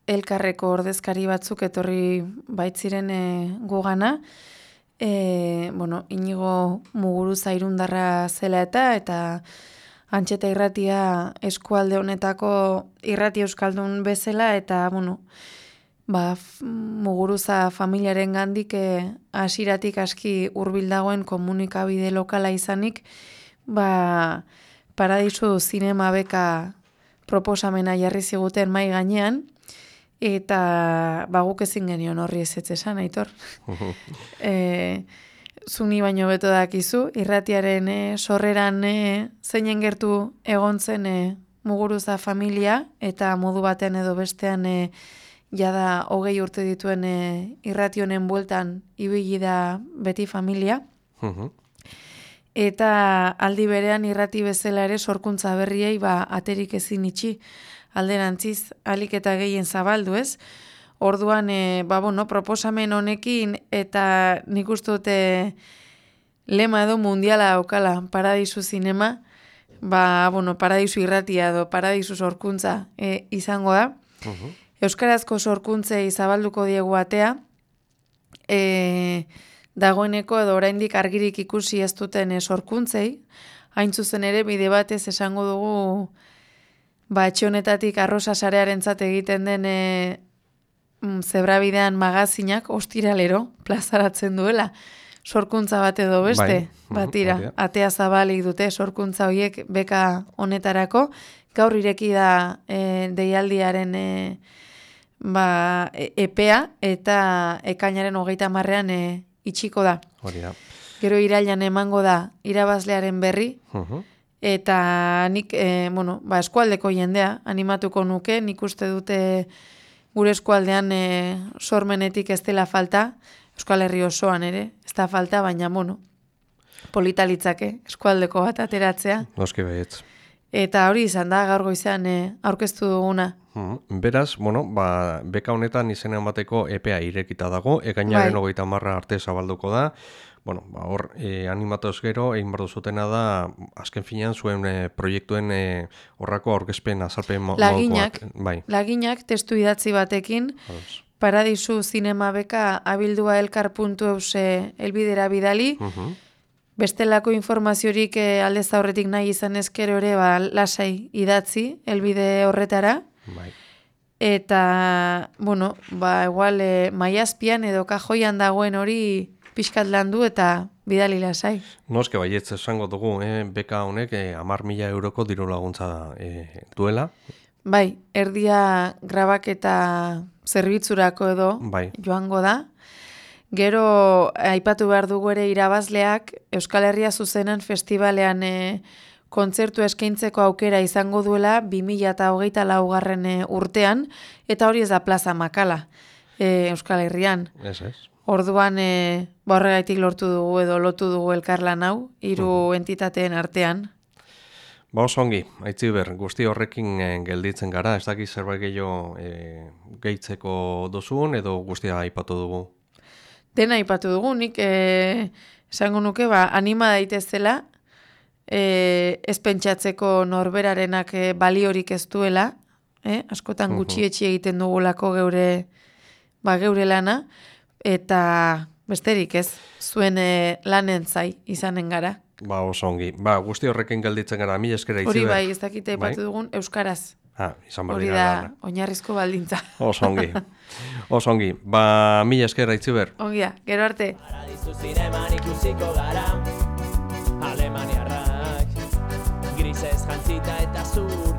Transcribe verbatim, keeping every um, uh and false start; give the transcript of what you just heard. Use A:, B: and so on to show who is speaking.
A: elkarreko ordezkari batzuk etorri baitziren e, gugana, e, bueno, Inigo Muguruza irundarra zela eta, eta Antxeta irratia eskualde honetako irrati euskaldun bezala, eta, bueno, ba, Muguruza familiaren gandik hasiratik aski hurbil dagoen komunikabide lokala izanik, ba, Paradisu zinema beka proposamena jarri ziguten mai gainean, eta ba, guk ezin genion horri ezetz esan, Aitor. e, Zuni baino beto dakizu, irratiaren e, sorreran e, zeinen gertu egon zen e, Muguruza familia, eta modu batean edo bestean e, jada hogei urte dituen e, irrati honen bueltan ibili da beti familia. Eta aldi berean irrati bezala ere sorkuntza berriei ba, aterik ezin itxi alderantziz alik eta gehien zabaldu, ez? Orduan, e, ba, bueno, proposamen honekin eta nik uste dute lema edo mundiala daukala Paradisu zinema, ba, bueno, Paradisu irratia edo Paradisu sorkuntza e, izango da. Uh-huh. Euskarazko sorkuntzei zabalduko diegu atea, e, dagoeneko edo oraindik argirik ikusi ez duten e, sorkuntzei, hain zuzen ere bide batez esango dugu ba, etxe honetatik arrosa sarearentzat egiten den e, zebrabidean magazinak ostiralero plazaratzen duela. Sorkuntza bat edo beste, bai. Batira, uh-huh, atea zabalik dute sorkuntza horiek beka honetarako. Gaur ireki da e, deialdiaren e, ba, e, epea eta ekainaren hogeita marrean e, itxiko da.
B: Hori da.
A: Gero irailan emango da irabazlearen berri,
B: uh-huh.
A: Eta nik, e, bueno, ba, eskualdeko jendea animatuko nuke, nik uste dute gure eskualdean e, sormenetik ez dela falta, Euskal Herri osoan ere, ez da falta, baina, bueno, polita litzake, eskualdeko bat ateratzea.
B: Noski baietz.
A: Eta hori izan da, gaur goizean e, aurkeztu duguna.
B: Hmm. Beraz, bueno, ba, beka honetan izenean bateko epea irekita dago, ekainaren hogeita marra arte zabalduko da. Bueno, ba, hor, e, animatoz gero, egin bardu zutena da, azken finean zuen e, proiektuen e, horrako aurkezpen azalpen mo-
A: laginak,
B: modukoak. Bai.
A: Laginak testu idatzi batekin,
B: Ados.
A: Paradisu zinema beka abildua elkar puntu eus elbidera bidali,
B: Uh-huh.
A: bestelako informaziorik e, aldez aurretik nahi izan ezkero ere, ba, lasai idatzi elbide horretara.
B: Bai.
A: Eta, bueno, ba, igual e, maiazpian edo kajoian dagoen hori pixkat landu eta bidali lasai.
B: Noske baietz esango dugu, eh? Beka honek eh, hamar mila euroko diru laguntza eh, duela.
A: Bai, erdia grabaketa zerbitzurako edo
B: Bai.
A: joango da. Gero, aipatu behar dugu ere irabazleak Euskal Herria Zuzenan Festivalean e, kontzertu eskaintzeko aukera izango duela bi mila hogeita laugarren e, urtean, eta hori ez da Plaza Makala e, Euskal Herrian.
B: Ez, ez.
A: Orduan, e, ba horregaitik lortu dugu edo lotu dugu elkarlan hau, hiru uh-huh. entitateen artean.
B: Ba oso ongi, Aitziber, guzti horrekin eh, gelditzen gara, ez dakit zerbait gehiago eh, gehitzeko duzun edo guztia aipatu dugu?
A: Dena aipatu dugu, nik eh, esango nuke, ba, anima daitezela, eh, ez pentsatzeko norberarenak eh, baliorik ez duela, eh? askotan gutxietxi egiten dugulako geure, ba, geure lana, eta besterik ez, zuen eh, lanen zai izanen gara.
B: Ba, oso ongi. Ba, guzti horrekin gelditzen gara, mila eskera Aitziber.
A: Hori bai, ez dakite aipatu bai? dugun, euskaraz.
B: Ah, izan
A: Hori da, oinarrizko baldintza.
B: Oso ongi. Oso ongi. Ba, mila eskera Aitziber.
A: Ongia, gero arte.
C: Paradisu zineman ikusiko gara, Alemaniarrak, grisez jantzita eta zur